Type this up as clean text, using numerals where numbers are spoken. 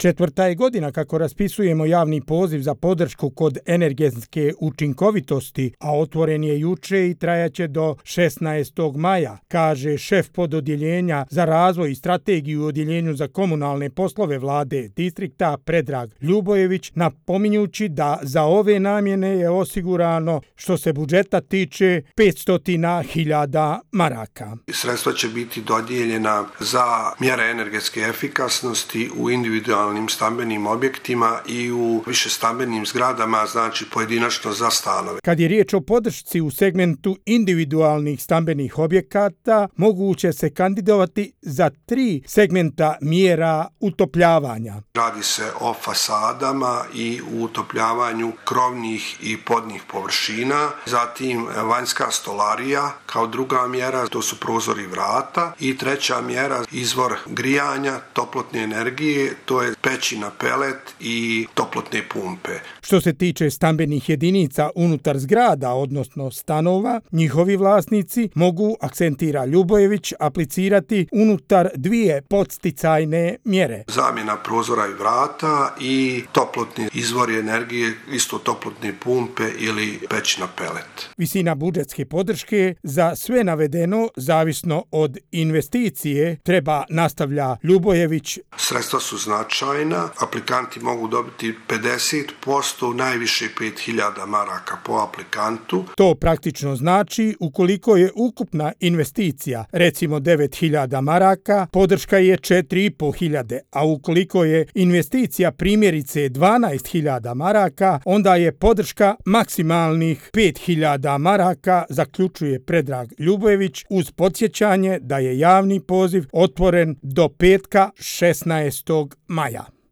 Četvrta je godina kako raspisujemo javni poziv za podršku kod energetske učinkovitosti, a otvoren je juče i trajaće do 16. maja, kaže šef pododjeljenja za razvoj i strategiju u odjeljenju za komunalne poslove vlade distrikta Predrag Ljubojević, napominjući da za ove namjene je osigurano, što se budžeta tiče, 500.000 maraka. Sredstva će biti dodijeljena za mjere energetske efikasnosti u individualnim stambenim objektima i u višestambenim zgradama, znači pojedinačno za stanove. Kad je riječ o podršci u segmentu individualnih stambenih objekata, moguće se kandidovati za 3 segmenta mjera utopljavanja. Radi se o fasadama i utopljavanju krovnih i podnih površina, zatim vanjska stolarija kao druga mjera, to su prozori vrata, i treća mjera izvor grijanja, toplotne energije, to je peći na pelet i toplotne pumpe. Što se tiče stambenih jedinica unutar zgrada, odnosno stanova, njihovi vlasnici mogu, akcentira Ljubojević, aplicirati unutar 2 podsticajne mjere. Zamjena prozora i vrata i toplotni izvori energije, isto toplotne pumpe ili peć na pelet. Visina budžetske podrške za sve navedeno, zavisno od investicije, treba, nastavlja Ljubojević. Sredstva su značajna, aplikanti mogu dobiti 50%, najviše 5.000 maraka po aplikantu. To praktično znači, ukoliko je ukupna investicija, recimo 9.000 maraka, podrška je 4.500, a ukoliko je investicija primjerice 12.000 maraka, onda je podrška maksimalnih 5.000 maraka, zaključuje Predrag Ljubojević, uz podsjećanje da je javni poziv otvoren do petka 16. maja.